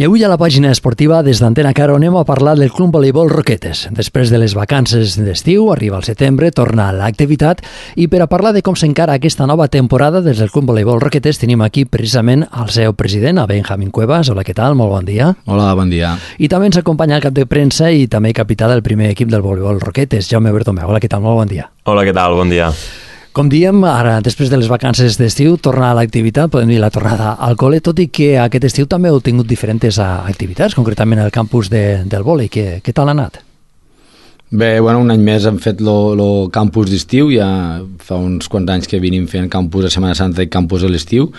I avui a la pàgina esportiva des d'Antena Caro anem a parlar del Club Voleibol Roquetes. Després de les vacances d'estiu, arriba el setembre, torna a l'activitat i per a parlar de com s'encara aquesta nova temporada des del Club Voleibol Roquetes tenim aquí precisament el seu president, a Benjamín Cuevas. Hola, què tal? Molt bon dia. Hola, bon dia. I també ens acompanya el cap de premsa i també capità del primer equip del Voleibol Roquetes, Jaume Bertomeu. Hola, què tal? Molt bon dia. Hola, què tal? Bon dia. Com diem, ara, després de les vacances d'estiu, tornar a l'activitat, podem dir la tornada al col·le, tot i que aquest estiu també heu tingut diferents activitats, concretament al campus del vòlei. Què tal ha anat? Bé, un any més hem fet el campus d'estiu, ja fa uns quants anys que venim fent campus a Setmana Santa i campus a l'estiu.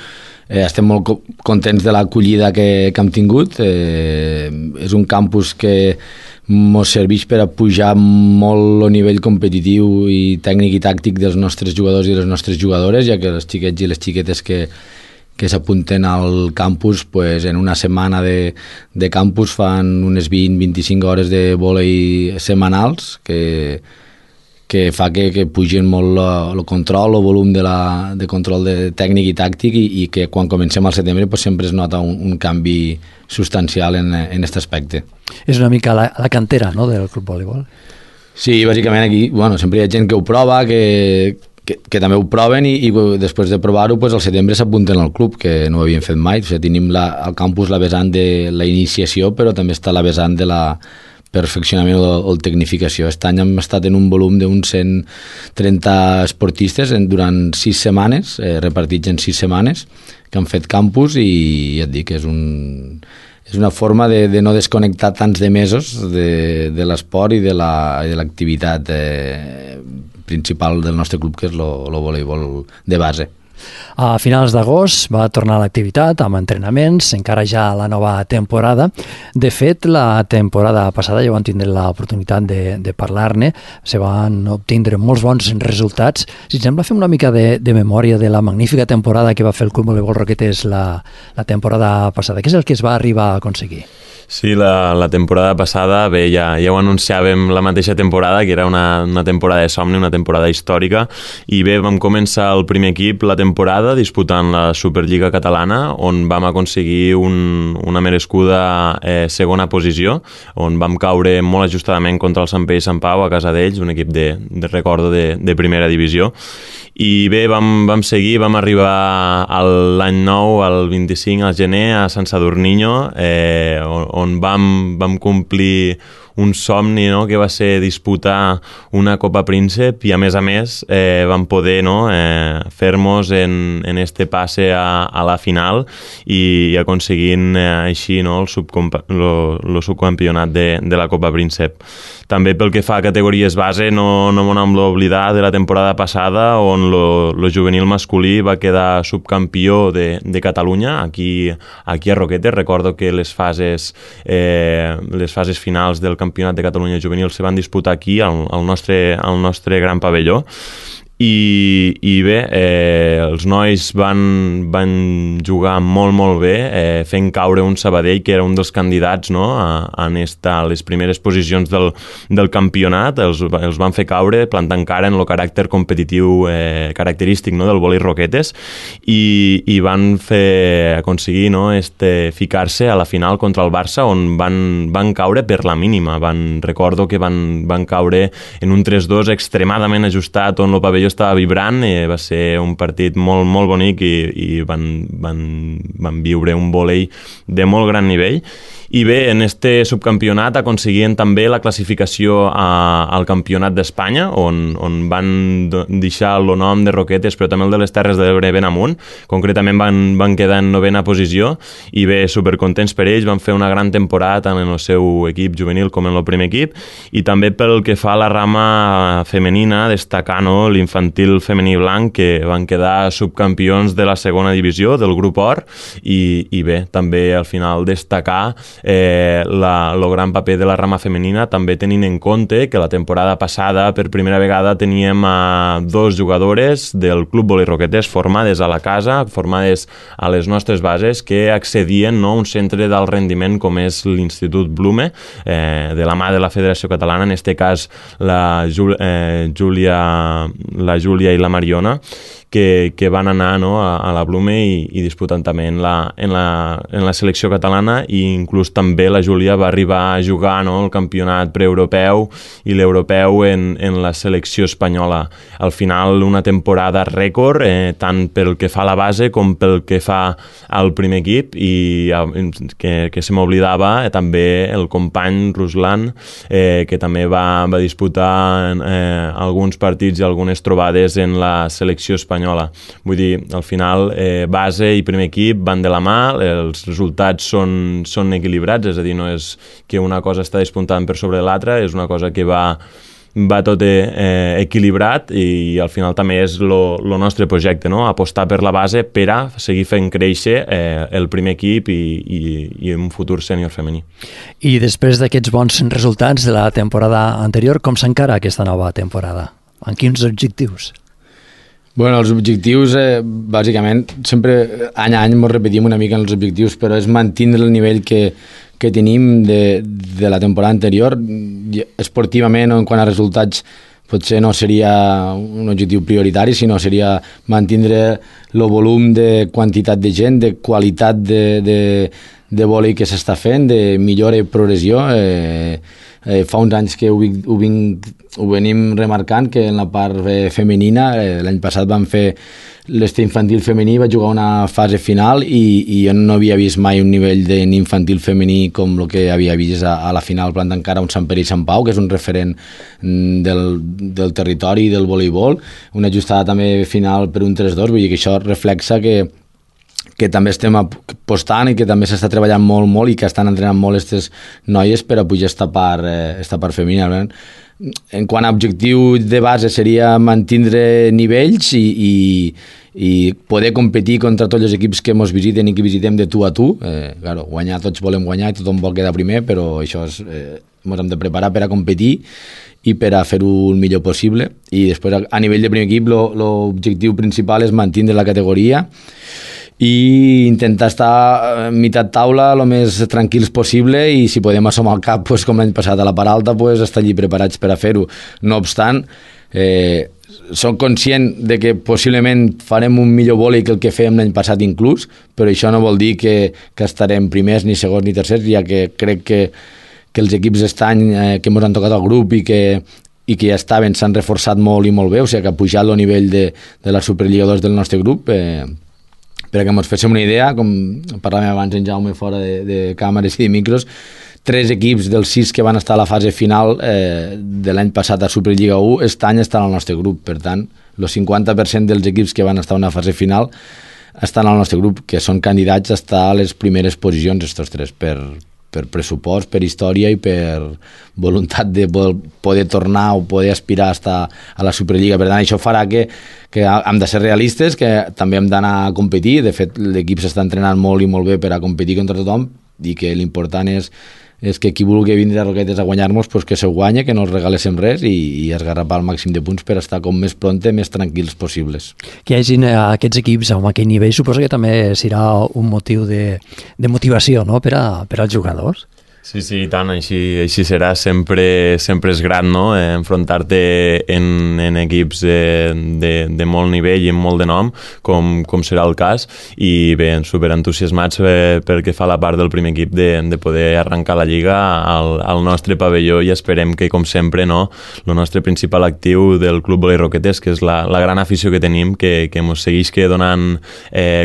Estem molt contents de l'acollida que hem tingut. És un campus que ens serveix per a pujar molt el nivell competitiu i tècnic i tàctic dels nostres jugadors i les nostres jugadores, ja que els xiquets i les xiquetes que s'apunten al campus, pues, en una setmana de campus fan unes 20-25 hores de vòlei setmanals, que fa que pugin molt el control, el volum de control tècnic i tàctic i que quan comencem al setembre pues, sempre es nota un canvi substancial en aquest aspecte. És una mica la cantera, no?, del Club Voleibol. Sí, bàsicament aquí sempre hi ha gent que ho prova, que també ho proven i després de provar-ho pues, al setembre s'apunten al club, que no ho havien fet mai. O sigui, tenim al campus la vessant de la iniciació, però també està la vessant de la perfeccionament o tecnificació. Aquest any hem estat en un volum d'uns 130 esportistes durant 6 setmanes, repartits en 6 setmanes, que han fet campus i ja et dic, és una forma de no desconnectar tants de mesos de l'esport i de l'activitat principal del nostre club, que és el voleibol de base. A finals d'agost va tornar a l'activitat amb entrenaments, encara ja a la nova temporada. De fet, la temporada passada ja van tindre l'oportunitat de parlar-ne, se van obtindre molts bons resultats. Si et sembla, fem una mica de memòria de la magnífica temporada que va fer el Club Voleibol Roquetes la temporada passada. Què és el que es va arribar a aconseguir? Sí, la temporada passada, bé, ja ho anunciàvem la mateixa temporada, que era una temporada de somni, una temporada històrica, i bé, vam començar el primer equip la temporada disputant la Superliga Catalana, on vam aconseguir una merescuda segona posició, on vam caure molt ajustadament contra el Sant Pere i Sant Pau a casa d'ells, un equip de recordo de primera divisió. I bé, vam seguir, vam arribar l'any nou, el 25 al gener, a Sant Sadurniño, on vam complir un somni, no?, que va ser disputar una Copa Príncep i a més vam poder fer-nos en este passe a la final i aconseguint així el subcampionat de la Copa Príncep. També pel que fa a categories base no m'ho hem d'oblidar de la temporada passada on el juvenil masculí va quedar subcampió de Catalunya aquí a Roquetes. Recordo que les fases finals del Campionat de Catalunya juvenil se van disputar aquí al nostre gran pavelló. I bé, els nois van jugar molt, molt bé, fent caure un Sabadell que era un dels candidats a estar a les primeres posicions del campionat. Els van fer caure, plantant cara en el caràcter competitiu característic del vòlei Roquetes i van aconseguir ficar-se a la final contra el Barça, on van caure per la mínima. Recordo que van caure en un 3-2 extremadament ajustat, on el pavelló estava vibrant. Va ser un partit molt, molt bonic i van viure un vòlei de molt gran nivell. I bé, en este subcampionat aconseguien també la classificació al Campionat d'Espanya, on van deixar el nom de Roquetes, però també el de les Terres de l'Ebre ben amunt. Concretament van quedar en 9ª posició i bé, supercontents per ells. Van fer una gran temporada tant en el seu equip juvenil com en el primer equip, i també pel que fa a la rama femenina, destacar l'infantil femení blanc, que van quedar subcampions de la segona divisió del grup Or, i bé, també al final destacar el gran paper de la rama femenina, també tenint en compte que la temporada passada per primera vegada teníem 2 jugadores del Club Vòlei Roquetes formades a la casa, formades a les nostres bases, que accedien a un centre d'alt rendiment com és l'Institut Blume, de la mà de la Federació Catalana, en aquest cas la la Júlia i la Mariona, que van anar, no, a la Blume i disputant també en la selecció catalana, i inclús també la Júlia va arribar a jugar, no, el campionat preeuropeu i l'europeu en la selecció espanyola. Al final, una temporada rècord, tant pel que fa a la base com pel que fa al primer equip, i que se m'oblidava també el company Ruslan, que també va disputar alguns partits i algunes trobades en la selecció espanyola. Vull dir, al final, base i primer equip van de la mà, els resultats són equilibrats, és a dir, no és que una cosa està despuntant per sobre de l'altra, és una cosa que va tot equilibrat, i al final també és el nostre projecte, no? Apostar per la base per a seguir fent créixer el primer equip i un futur sènior femení. I després d'aquests bons resultats de la temporada anterior, com s'encara aquesta nova temporada? En quins objectius? Bueno, els objectius, bàsicament, sempre any a any ens repetim una mica els objectius, però és mantenir el nivell que tenim de la temporada anterior. Esportivament o en quant a resultats potser no seria un objectiu prioritari, sinó seria mantenir el volum de quantitat de gent, de qualitat de vòlei que s'està fent, de millora i progressió. Fa uns anys que ho venim remarcant, que en la part femenina, l'any passat vam fer l'estiu infantil femení, va jugar una fase final i jo no havia vist mai un nivell d'infantil femení com el que havia vist a la final, plantant cara a un Sant Pere i Sant Pau, que és un referent del territori i del voleibol, una ajustada també final per un 3-2, vull dir que això reflexa que també estem apostant i que també s'està treballant molt i que estan entrenant molt aquestes noies per a pujar esta part femenina. En quant a objectiu de base seria mantenir nivells i poder competir contra tots els equips que ens visiten i que visitem de tu a tu. Claro, guanyar, tots volem guanyar i tothom vol quedar primer, però això ens hem de preparar per a competir i per a fer-ho el millor possible. I després, a nivell de primer equip, l'objectiu principal és mantenir la categoria i intentar estar a meitat taula el més tranquils possible, i si podem assomar el cap, com l'any passat a la part alta, estar allí preparats per a fer-ho. No obstant, soc conscient de que possiblement farem un millor vòlei que el que fèiem l'any passat inclús, però això no vol dir que estarem primers, ni segons, ni tercers, ja que crec que els equips d'aquest any que ens han tocat al grup i que ja estaven, s'han reforçat molt i molt bé, o sigui que ha pujat el nivell de la Superliga 2 del nostre grup. Per que ens féssim una idea, com parlàvem abans en Jaume fora de càmeres i de micros, 3 equips dels 6 que van estar a la fase final de l'any passat a Superliga 1 aquest any estan al nostre grup. Per tant, el 50% dels equips que van estar a una fase final estan al nostre grup, que són candidats a estar a les primeres posicions, aquests 3, per pressupost, per història i per voluntat de poder tornar o poder aspirar a estar a la Superliga. Per tant, això farà que hem de ser realistes, que també hem d'anar a competir. De fet, l'equip s'està entrenant molt i molt bé per a competir contra tothom, i que l'important és que qui vulgui vindre a Roquetes a guanyar-nos, que se guanya, que no els regaléssim res i esgarrapar el màxim de punts per estar com més pronte, més tranquils possibles. Que hi hagin aquests equips amb aquell nivell suposo que també serà un motiu de motivació, no?, per als jugadors. Sí, i tant, així serà. Sempre és gran, no?, enfrontar-te en equips de molt nivell i amb molt de nom, com serà el cas, i bé, superentusiasmats perquè fa la part del primer equip de poder arrencar la Lliga al nostre pavelló, i esperem que, com sempre, no, el nostre principal actiu del Club Volei Roquetes, que és la gran afició que tenim, que ens segueix donant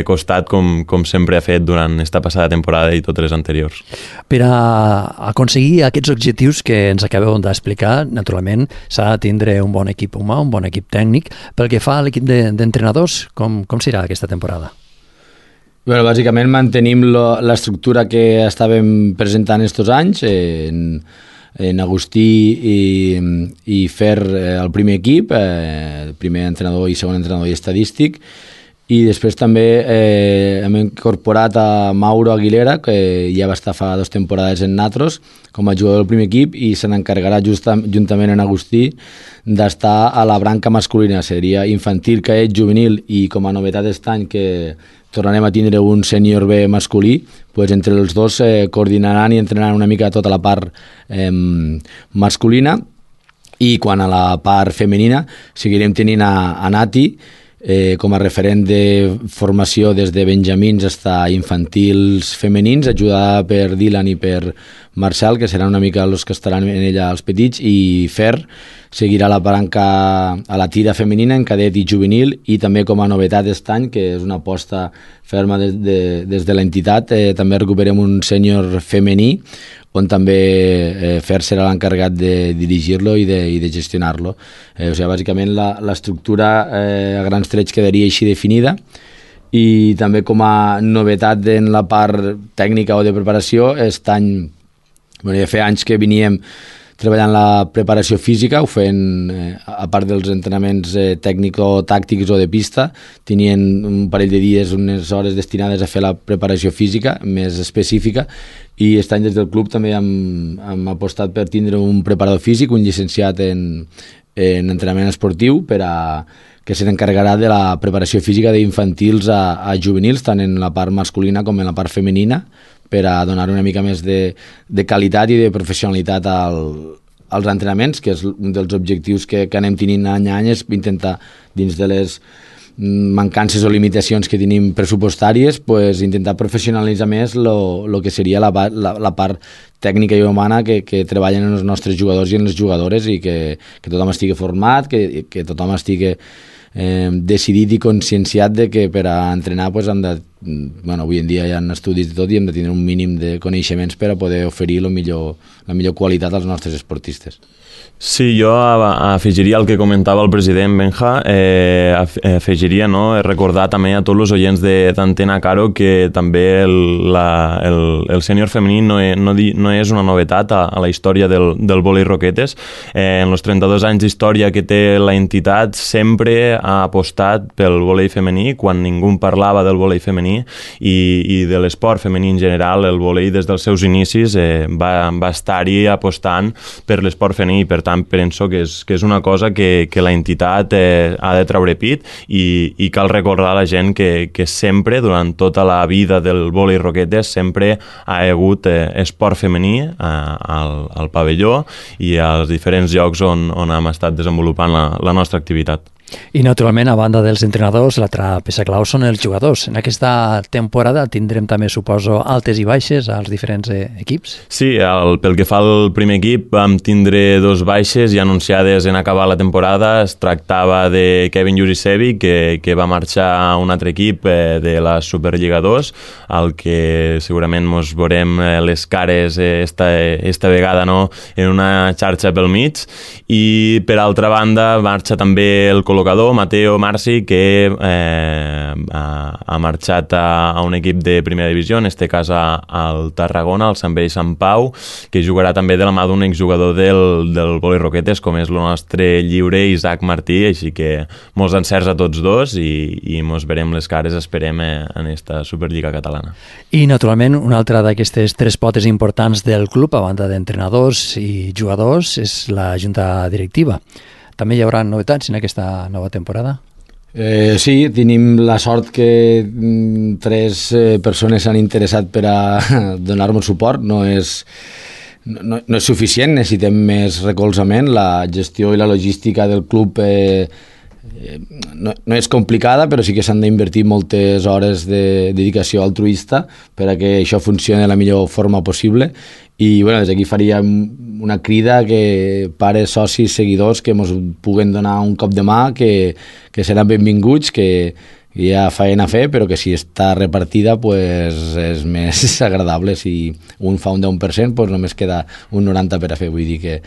costat com sempre ha fet durant esta passada temporada i totes les anteriors. Per a aconseguir aquests objectius que ens acabeu d'explicar, naturalment s'ha de tindre un bon equip humà, un bon equip tècnic. Pel que fa a l'equip d'entrenadors, com serà aquesta temporada? Bé, bàsicament mantenim l'estructura que estàvem presentant estos anys, en Agustí i Fer el primer equip, primer entrenador i segon entrenador i estadístic, i després també hem incorporat a Mauro Aguilera, que ja va estar fa 2 temporades en Natros com a jugador del primer equip, i se n'encarregarà juntament en Agustí d'estar a la branca masculina, seria infantil, cadet, juvenil, i com a novetat aquest any que tornarem a tindre un sènior B masculí, doncs entre els dos coordinaran i entrenaran una mica tota la part masculina. I quan a la part femenina seguirem tenint a Nati com a referent de formació des de benjamins fins a infantils femenins, ajudada per Dylan i per Marcel, que seran una mica els que estaran en ella els petits, i Fer seguirà la palanca a la tira femenina en cadet i juvenil, i també com a novetat aquest any, que és una aposta ferma des de l'entitat, també recuperem un sènior femení, on també Fer serà l'encarregat de dirigir-lo i de gestionar-lo. O sigui, bàsicament l'estructura a grans trets quedaria així definida, i també com a novetat en la part tècnica o de preparació, aquest any, ja feia anys que veníem treballant la preparació física, ho feien, a part dels entrenaments tècnico-tàctics o de pista, tenien un parell de dies, unes hores destinades a fer la preparació física més específica, i aquest any des del club també hem apostat per tindre un preparador físic, un llicenciat en entrenament esportiu, que se n'encarregarà de la preparació física d'infantils a juvenils, tant en la part masculina com en la part femenina, per a donar una mica més de qualitat i de professionalitat als entrenaments, que és un dels objectius que anem tenint any a any, és intentar, dins de les mancances o limitacions que tenim pressupostàries, pues, intentar professionalitzar més el que seria la part tècnica i humana que treballen els nostres jugadors i les jugadores, i que tothom estigui format, que tothom estigui decidit i conscienciat de que per a entrenar pues, hem de, avui en dia hi ha estudis de tot i hem de tenir un mínim de coneixements per a poder oferir la millor qualitat als nostres esportistes. Sí, jo afegiria el que comentava el president Benja, afegiria recordar també a tots els oients d'Antena Caro que també el sènior femení no és una novetat a la història del vòlei roquetes. En els 32 anys d'història que té la entitat sempre ha apostat pel vòlei femení, quan ningú parlava del vòlei femení i de l'esport femení en general. El vòlei des dels seus inicis va estar-hi apostant per l'esport femení, per tant penso que és una cosa que la entitat ha de treure pit, i cal recordar a la gent que sempre, durant tota la vida del vòlei roquetes, sempre ha hagut esport femení al pavelló i als diferents llocs on hem estat desenvolupant la nostra activitat. I naturalment, a banda dels entrenadors, l'altra peça clau són els jugadors. En aquesta temporada tindrem també, suposo, altes i baixes als diferents equips? Sí, pel que fa al primer equip vam tindre 2 baixes ja anunciades en acabar la temporada. Es tractava de Kevin Jurisevic, que va marxar a un altre equip de la Superliga 2, al que segurament ens veurem les cares esta vegada en una xarxa pel mig. I per altra banda marxa també el col·locador Mateo Marci, que ha marxat a un equip de primera divisió, en este cas al Tarragona, al Sant Bell Sant Pau, que jugarà també de la mà d'un exjugador del vòlei roquetes, com és el nostre lliure Isaac Martí, així que molts encerts a tots dos i mos verem les cares, esperem, en esta Superliga catalana. I naturalment una altra d'aquestes 3 potes importants del club, a banda d'entrenadors i jugadors, és la junta directiva. També hi haurà novetats en aquesta nova temporada? Sí, tenim la sort que 3 persones s'han interessat per a donar-nos suport. No és suficient, necessitem més recolzament. La gestió i la logística del club no és complicada, però sí que s'han d'invertir moltes hores de dedicació altruista per a que això funcioni de la millor forma possible. I des d'aquí faríem una crida que pares, socis, seguidors que ens puguen donar un cop de mà, que seran benvinguts, que hi ha feina a fer, però que si està repartida és més agradable. Si un fa un 10%, només queda un 90% per a fer. Vull dir que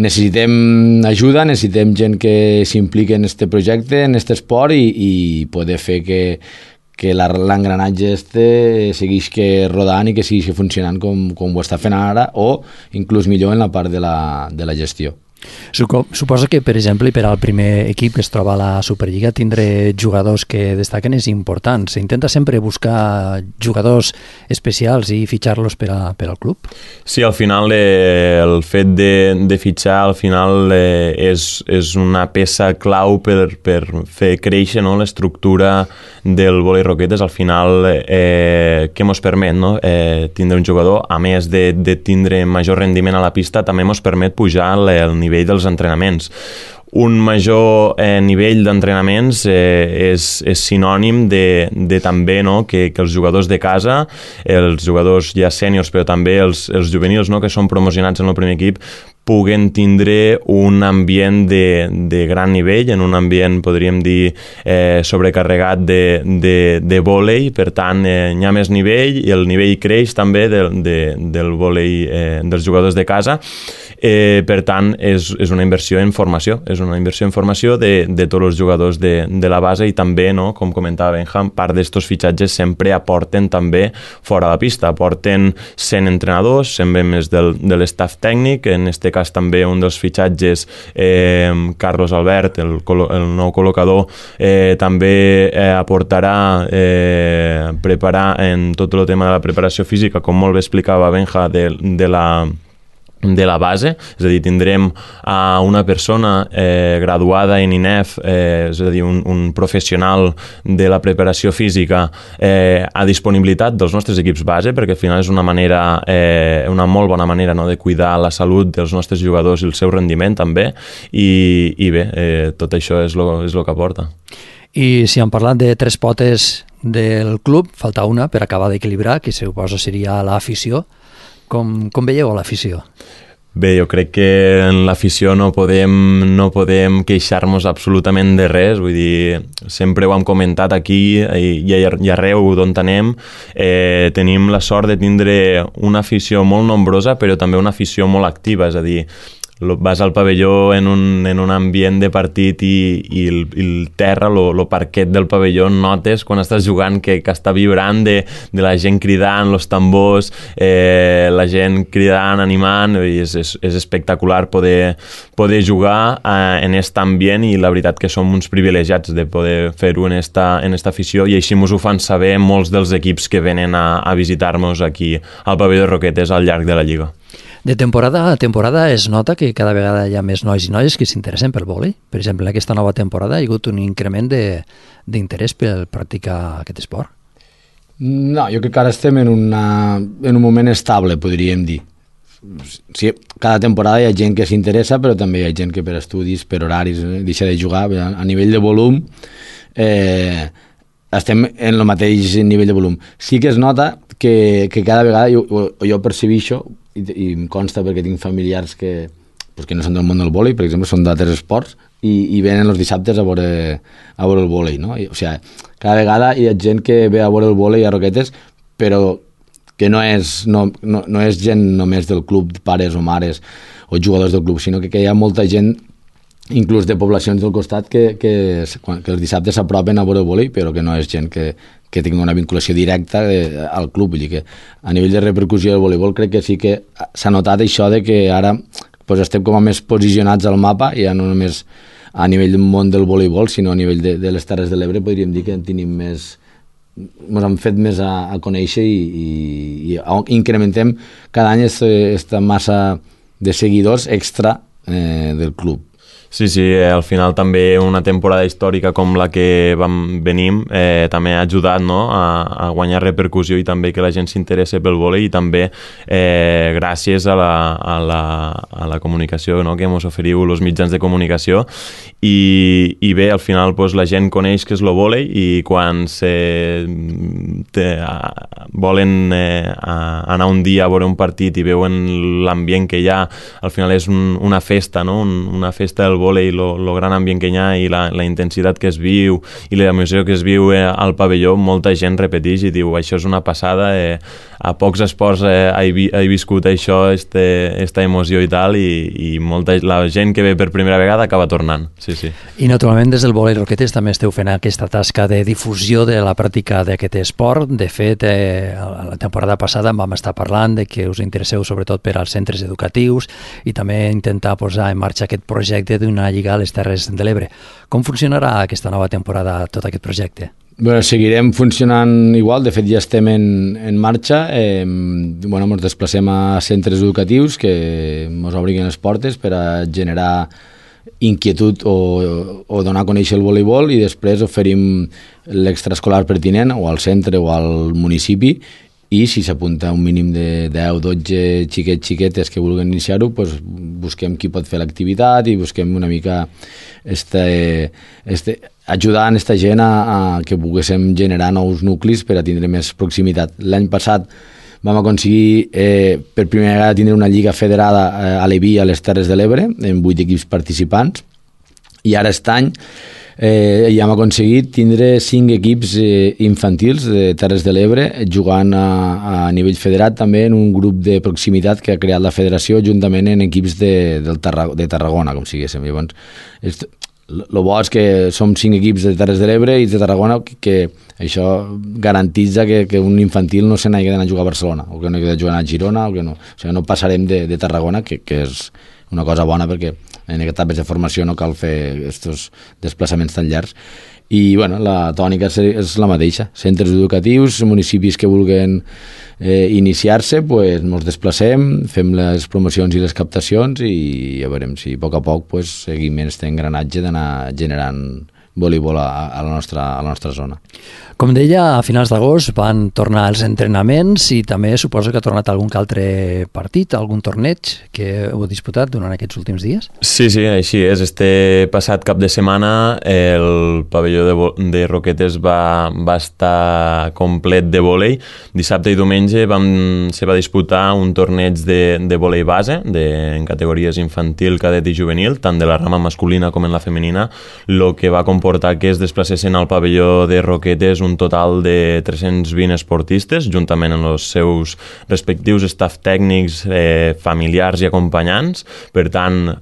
necessitem ajuda, necessitem gent que s'impliqui en aquest projecte, en aquest esport, i poder fer que l'engranatge segueix rodant i que segueix funcionant com ho està fent ara, o inclús millor en la part de la gestió. Suposo que, per exemple, per al primer equip que es troba a la Superliga, tindre jugadors que destaquen és important. S'intenta sempre buscar jugadors especials i fitxar-los per al club? Sí, al final el fet de fitxar al final és una peça clau per fer créixer l'estructura del vòlei roquetes. Al final, què ens permet tindre un jugador, a més de tindre major rendiment a la pista, també ens permet pujar el nivell nivell dels entrenaments. Un major nivell d'entrenaments és sinònim de també, no, que els jugadors de casa, els jugadors ja sèniors, però també els juvenils, no, que són promocionats en el primer equip, puguen tindre un ambient de gran nivell, en un ambient, podríem dir, sobrecarregat de vòlei, per tant, hi ha més nivell i el nivell creix també del vòlei dels jugadors de casa. Per tant, és una inversió en formació, és una inversió en formació de tots els jugadors de la base i també, no, com comentava Benjam, part d'estos fitxatges sempre aporten també fora de la pista, aporten 100 entrenadors, 100 membres de l'estaf tècnic, en este cas també un dels fitxatges, Carlos Albert, el nou col·locador, també aportarà preparar en tot el tema de la preparació física, com molt bé explicava Benja, de la base, és a dir, tindrem una persona graduada en INEF, és a dir, un professional de la preparació física a disponibilitat dels nostres equips base, perquè al final és una manera, una molt bona manera, no, de cuidar la salut dels nostres jugadors i el seu rendiment també, i bé, tot això és el que aporta. I si hem parlat de tres potes del club, falta una per acabar d'equilibrar, que suposo seria l'afició. Com veieu l'afició? Bé, jo crec que en l'afició no podem queixar-nos absolutament de res, vull dir, sempre ho hem comentat aquí i arreu d'on anem, tenim la sort de tindre una afició molt nombrosa, però també una afició molt activa, és a dir, vas al pavelló en un ambient de partit i el terra, el parquet del pavelló, notes quan estàs jugant que està vibrant de la gent cridant, els tambors, la gent cridant, animant, i és espectacular poder jugar en aquest ambient, i la veritat que som uns privilegiats de poder fer-ho en esta afició, i així ens ho fan saber molts dels equips que venen a visitar-nos aquí al pavelló de Roquetes al llarg de la Lliga. De temporada a temporada es nota que cada vegada hi ha més nois i noies que s'interessen pel vòlei. Per exemple, en aquesta nova temporada hi ha hagut un increment d'interès per practicar aquest esport. No, jo crec que ara estem en un moment estable, podríem dir. Sí, cada temporada hi ha gent que s'interessa, però també hi ha gent que per estudis, per horaris, deixa de jugar. A nivell de volum, estem en el mateix nivell de volum. Sí que es nota que cada vegada jo percebixo, i em consta perquè tinc familiars que no són del món del vòlei, per exemple, són d'altres esports, i venen els dissabtes a veure el vòlei, no? O sigui, cada vegada hi ha gent que ve a veure el vòlei a Roquetes, però que no és gent només del club, pares o mares o jugadors del club, sinó que hi ha molta gent, inclús de poblacions del costat, que els dissabtes s'apropen a veure el vòlei, però que no és gent que tingui una vinculació directa al club. Vull dir que a nivell de repercussió del voleibol crec que sí que s'ha notat això de que ara estem com a més posicionats al mapa, ja no només a nivell del món del voleibol, sinó a nivell de les Terres de l'Ebre, podríem dir que tenim més, ens han fet més a conèixer i incrementem cada any aquesta massa de seguidors extra del club. Sí, al final també una temporada històrica com la que venim també ha ajudat, no, a guanyar repercussió i també que la gent s'interessi pel vòlei, i també gràcies a la comunicació, no, que ens oferiu els mitjans de comunicació, i bé, al final la gent coneix què és el vòlei, i quan volen anar un dia a veure un partit i veuen l'ambient que hi ha, al final és una festa, no? Una festa del vòlei, el gran ambient que hi ha i la intensitat que es viu i l'emoció que es viu al pavelló, molta gent repeteix i diu, això és una passada, a pocs esports he viscut això, esta emoció i tal, i la gent que ve per primera vegada acaba tornant. Sí. I naturalment des del Vòlei Roquetes també esteu fent aquesta tasca de difusió de la pràctica d'aquest esport. De fet, la temporada passada vam estar parlant de que us interesseu sobretot per als centres educatius i també intentar posar en marxa aquest projecte d'una lliga a les Terres de l'Ebre. Com funcionarà aquesta nova temporada tot aquest projecte? Bueno, seguirem funcionant igual, de fet ja estem en marxa, ens desplacem a centres educatius que ens obrin les portes per a generar inquietud o donar a conèixer el voleibol, i després oferim l'extraescolar pertinent o al centre o al municipi, i si s'apunta un mínim de 10-12 xiquetes que vulguin iniciar-ho, busquem qui pot fer l'activitat i busquem una mica ajudant aquesta gent a que poguéssim generar nous nuclis per a tindre més proximitat. L'any passat vam aconseguir per primera vegada tindre una lliga federada a l'Eví, a les Terres de l'Ebre, amb 8 equips participants, i ara aquest any ja hem aconseguit tindre 5 equips infantils de Terres de l'Ebre jugant a nivell federat també en un grup de proximitat que ha creat la federació juntament en equips de Tarragona, com siguéssim. Llavors, el bo és que som 5 equips de Terres de l'Ebre i de Tarragona, que això garantitza que un infantil no se n'hagi d'anar a jugar a Barcelona o que no hagi de jugar a Girona, o sigui, no passarem de Tarragona, que és una cosa bona perquè en etapes de formació no cal fer aquests desplaçaments tan llargs. I bueno, la tònica és la mateixa. Centres educatius, municipis que vulguin iniciar-se, pues, ens desplacem, fem les promocions i les captacions i ja veurem si a poc pues, seguim aquest engranatge d'anar generant voleibol a la nostra zona. Com deia, a finals d'agost van tornar els entrenaments i també suposo que ha tornat algun altre partit, algun torneig que heu disputat durant aquests últims dies? Sí, així és. Este passat cap de setmana el pavelló de Roquetes va estar complet de vòlei. Dissabte i diumenge se va disputar un torneig de vòlei base en categories infantil, cadet i juvenil, tant de la rama masculina com en la femenina, el que va comportar que es desplacessin al pavelló de Roquetes un total de 320 esportistes, juntament amb els seus respectius staff tècnics, familiars i acompanyants. Per tant,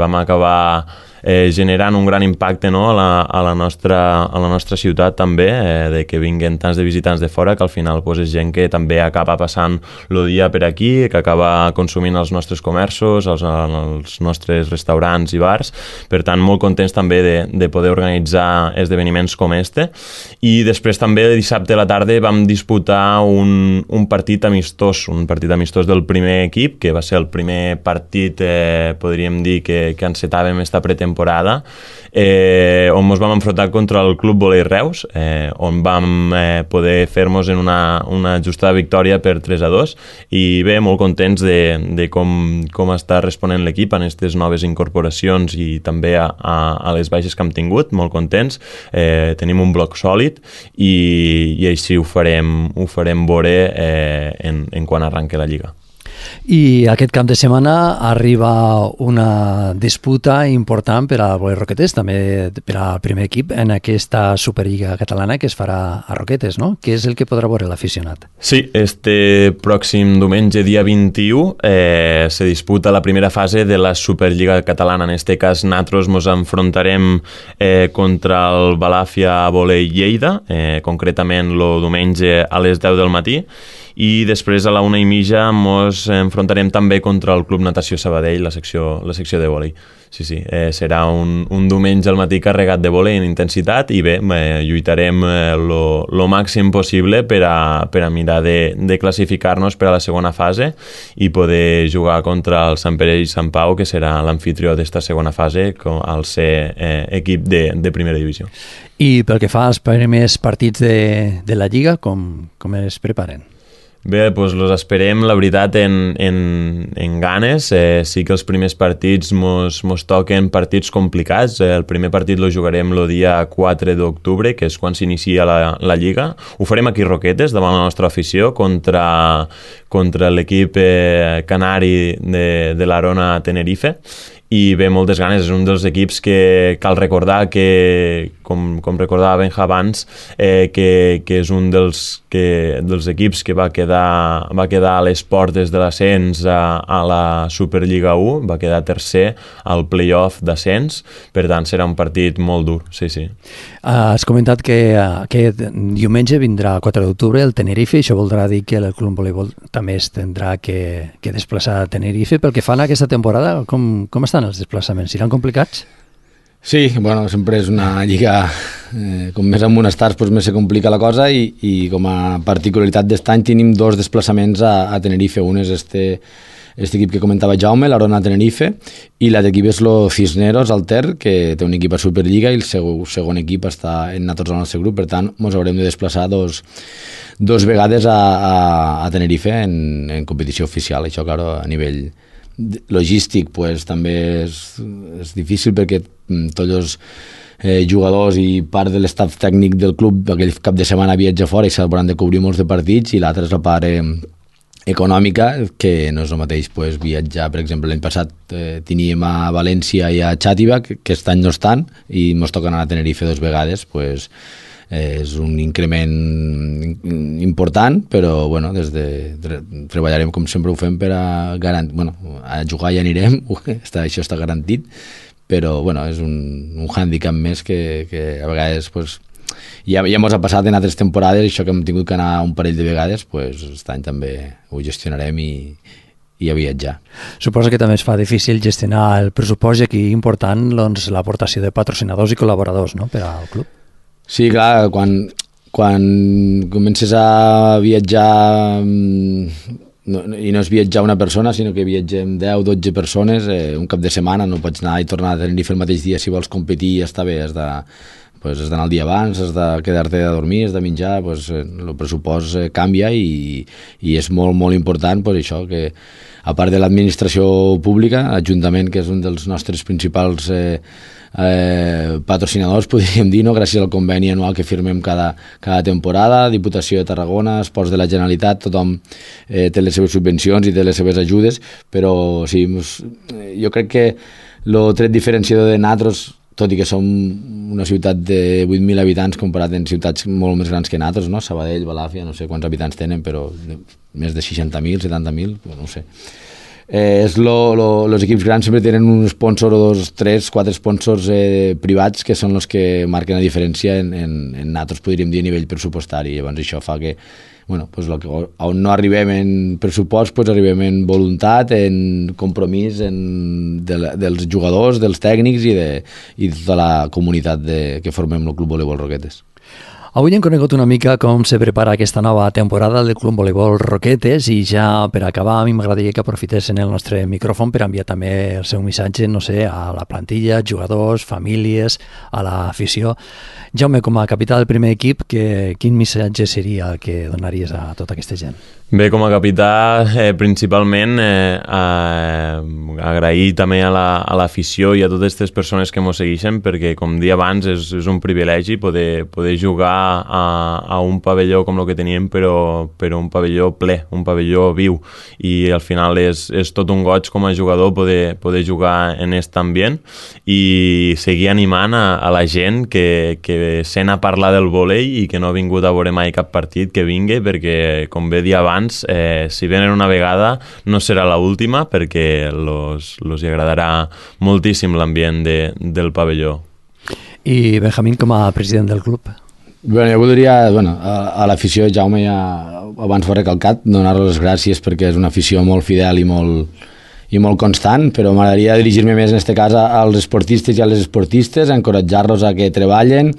vam acabar generant un gran impacte, no, a la nostra ciutat també, de que vinguen tants de visitants de fora, que al final pues, és gent que també acaba passant el dia per aquí, que acaba consumint els nostres comerços, els nostres restaurants i bars. Per tant, molt contents també de poder organitzar esdeveniments com este. I després també dissabte a la tarda vam disputar un partit amistós, del primer equip, que va ser el primer partit, podríem dir, que encetàvem esta pretemporada, on ens vam enfrontar contra el Club Volei Reus, on vam poder fer-nos en una justa victòria per 3-2, i bé, molt contents de com està responent l'equip en aquestes noves incorporacions i també a les baixes que hem tingut, molt contents. Tenim un bloc sòlid i així ho farem veure en quan arranqui la Lliga. I aquest cap de setmana arriba una disputa important per al Volei Roquetes, també per al primer equip en aquesta Superliga catalana que es farà a Roquetes, no? Què és el que podrà veure l'aficionat? Sí, este pròxim diumenge, dia 21, se disputa la primera fase de la Superliga catalana. En este cas, nosaltres ens enfrontarem contra el Balàfia Volei Lleida, concretament el diumenge a les 10 del matí, i després a la 1:30 ens enfrontarem també contra el Club Natació Sabadell, la secció de vòlei. Sí, serà un diumenge al matí carregat de vòlei en intensitat i bé, lluitarem lo màxim possible per a mirar de classificar-nos per a la segona fase i poder jugar contra el Sant Pere i Sant Pau, que serà l'amfitrió d'esta segona fase al ser equip de primera divisió. I pel que fa als primers partits de la Lliga, com es preparen? Bé, doncs els esperem, la veritat, en ganes. Sí que els primers partits mos toquen partits complicats. El primer partit lo jugarem el dia 4 d'octubre, que és quan s'inicia la Lliga. Ho farem aquí a Roquetes, davant la nostra afició, contra l'equip canari de l'Arona Tenerife. I bé, moltes ganes. És un dels equips que cal recordar que, com recordava Benja abans, que és un dels equips que va quedar a les portes de l'ascens a la Superliga 1, va quedar tercer al play-off d'ascens, per tant serà un partit molt dur, sí. Has comentat que aquest diumenge vindrà el 4 d'octubre el Tenerife, això voldrà dir que el Club Voleibol també es tindrà que desplaçar a Tenerife. Pel que fan a aquesta temporada, com estan els desplaçaments? Seran complicats? Sí, bueno, sempre és una lliga, com més amonestats, doncs més se complica la cosa i com a particularitat d'est any tenim 2 desplaçaments a Tenerife. Un és este equip que comentava Jaume, l'Arona Tenerife, i l'altre equip és el Cisneros, el Ter, que té un equip a Superliga i el segon equip està en nosaltres al nostre grup. Per tant, ens haurem de desplaçar dos vegades a Tenerife en competició oficial. Això, clar, a nivell logístic pues, també és difícil perquè tots els jugadors i part de l'estaf tècnic del club aquell cap de setmana viatja fora i s'hauran de cobrir molts de partits, i l'altra és la part econòmica, que no és el mateix pues, viatjar. Per exemple, l'any passat teníem a València i a Xàtiva, que aquest any no estan, i ens toca anar a Tenerife 2 vegades, pues, és un increment important, però bueno, treballarem com sempre ho fem per a a jugar ja anirem, això està garantit, però bueno, és un hàndicap més que a vegades pues, ja ens ha passat en altres temporades, això que hem tingut que anar un parell de vegades, pues, aquest any també ho gestionarem i a viatjar. Suposo que també es fa difícil gestionar el pressupost i aquí important doncs, l'aportació de patrocinadors i col·laboradors, no?, per al club. Sí, clar, quan comences a viatjar i no és viatjar una persona, sinó que viatgem 10 o 12 persones un cap de setmana, no pots anar i tornar a Tenerife el mateix dia si vols competir i està bé, has d'anar el dia abans, has de quedar-te a dormir, has de menjar, el pressupost canvia i és molt, molt important això, que a part de l'administració pública, l'Ajuntament, que és un dels nostres principals patrocinadors, podríem dir, no? Gràcies al conveni anual que firmem cada temporada, Diputació de Tarragona, Esports de la Generalitat, tothom té les seves subvencions i té les seves ajudes, però sí, jo crec que el tret diferenciador de nosaltres, tot i que som una ciutat de 8.000 habitants comparat amb ciutats molt més grans que nosaltres, no? Sabadell, Balàfia, no sé quants habitants tenen, però més de 60.000, 70.000, no ho sé. Els equips grans sempre tenen un sponsor o 2, 3, 4 sponsors privats que són els que marquen la diferència en nosaltres, podríem dir, a nivell pressupostari. Llavors això fa que, on no arribem en pressupost, arribem en voluntat, en compromís dels jugadors, dels tècnics i de tota la comunitat que formem el Club Voleibol Roquetes. Avui hem conegut una mica com se prepara aquesta nova temporada del Club Voleibol Roquetes i ja per acabar a mi m'agradaria que aprofitessin el nostre micròfon per enviar també el seu missatge, no sé, a la plantilla, jugadors, famílies, a l'afició. Jaume, com a capità del primer equip, quin missatge seria el que donaries a tota aquesta gent? Bé, com a capità, principalment agrair també a l'afició i a totes aquestes persones que ens segueixen, perquè, com dia abans, és un privilegi poder jugar a un pavelló com el que teníem, però un pavelló ple, un pavelló viu, i al final és tot un goig com a jugador poder jugar en aquest ambient i seguir animant a la gent que sent a parlar del vòlei i que no ha vingut a veure mai cap partit, que vingui, perquè, com bé dia abans, si venen una vegada no serà l'última, perquè els hi agradarà moltíssim l'ambient del pavelló. I Benjamín, com a president del club? Jo voldria, a l'afició, Jaume ja abans ho ha recalcat, donar-los les gràcies perquè és una afició molt fidel i molt constant, però m'agradaria dirigir-me més en aquest cas als esportistes i a les esportistes, a encoratjar-los a que treballen,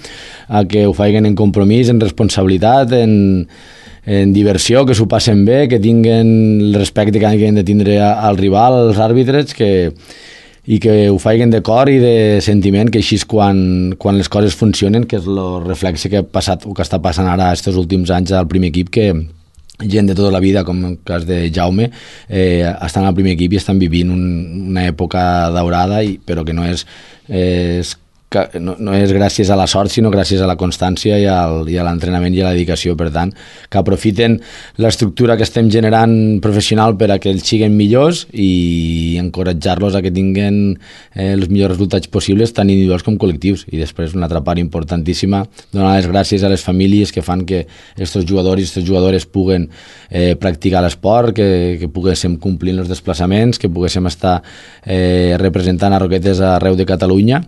a que ho facin en compromís, en responsabilitat, en diversió, que s'ho passen bé, que tinguen el respecte que han de tindre al rival, als àrbitres, i que ho facin de cor i de sentiment, que així és quan les coses funcionen, que és el reflexe que ha passat o que està passant ara aquests últims anys al primer equip, que gent de tota la vida, com en el cas de Jaume, estan al primer equip i estan vivint una època daurada, però que no és gràcies a la sort, sinó gràcies a la constància i a l'entrenament i a la dedicació. Per tant, que aprofiten l'estructura que estem generant professional per a que ells siguin millors i encoratjar-los a que tinguin els millors resultats possibles, tant individuals com col·lectius. I després, una altra part importantíssima, donar les gràcies a les famílies que fan que aquests jugadors i aquestes jugadores puguen practicar l'esport, que poguéssim complir els desplaçaments, que poguéssim estar representant a Roquetes arreu de Catalunya.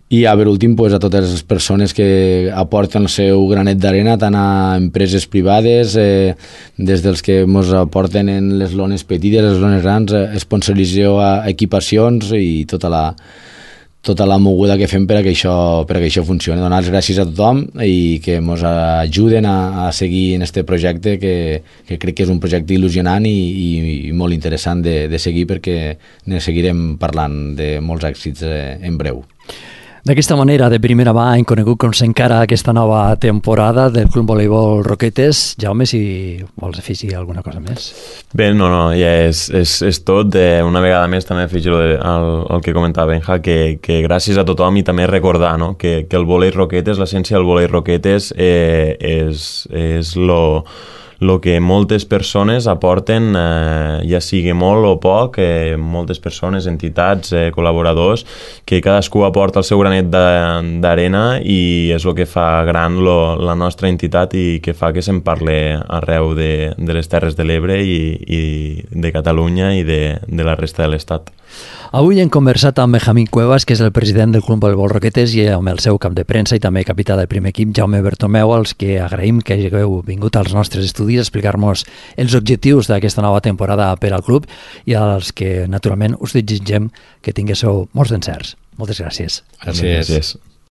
I per últim, a totes les persones que aporten el seu granet d'arena, tant a empreses privades, des dels que ens aporten en les lones petites, les lones grans, sponsorització a equipacions i tota la moguda que fem per a que això funcioni. Donar les gràcies a tothom i que ens ajuden a seguir en aquest projecte, que crec que és un projecte il·lusionant i molt interessant de seguir, perquè ne seguirem parlant de molts èxits en breu. D'aquesta manera, de primera mà, hem conegut com s'encara aquesta nova temporada del Club Voleibol Roquetes. Jaume, si vols afegir alguna cosa més. Bé, no, ja és tot. Una vegada més també afegir el que comentava Benja, que gràcies a tothom i també recordar, no? que el volei Roquetes, l'essència del volei Roquetes és lo que moltes persones aporten, ja sigui molt o poc, moltes persones, entitats, col·laboradors, que cadascú aporta el seu granet d'arena i és el que fa gran la nostra entitat i que fa que se'n parle arreu de les Terres de l'Ebre i de Catalunya i de la resta de l'Estat. Avui hem conversat amb Benjamín Cuevas, que és el president del Club Voleibol Roquetes, i amb el seu cap de premsa i també capità del primer equip, Jaume Bertomeu, als que agraïm que hagueu vingut als nostres estudis a explicar-nos els objectius d'aquesta nova temporada per al club i als que, naturalment, us desitgem que tinguéssiu molts encerts. Moltes gràcies. Gràcies.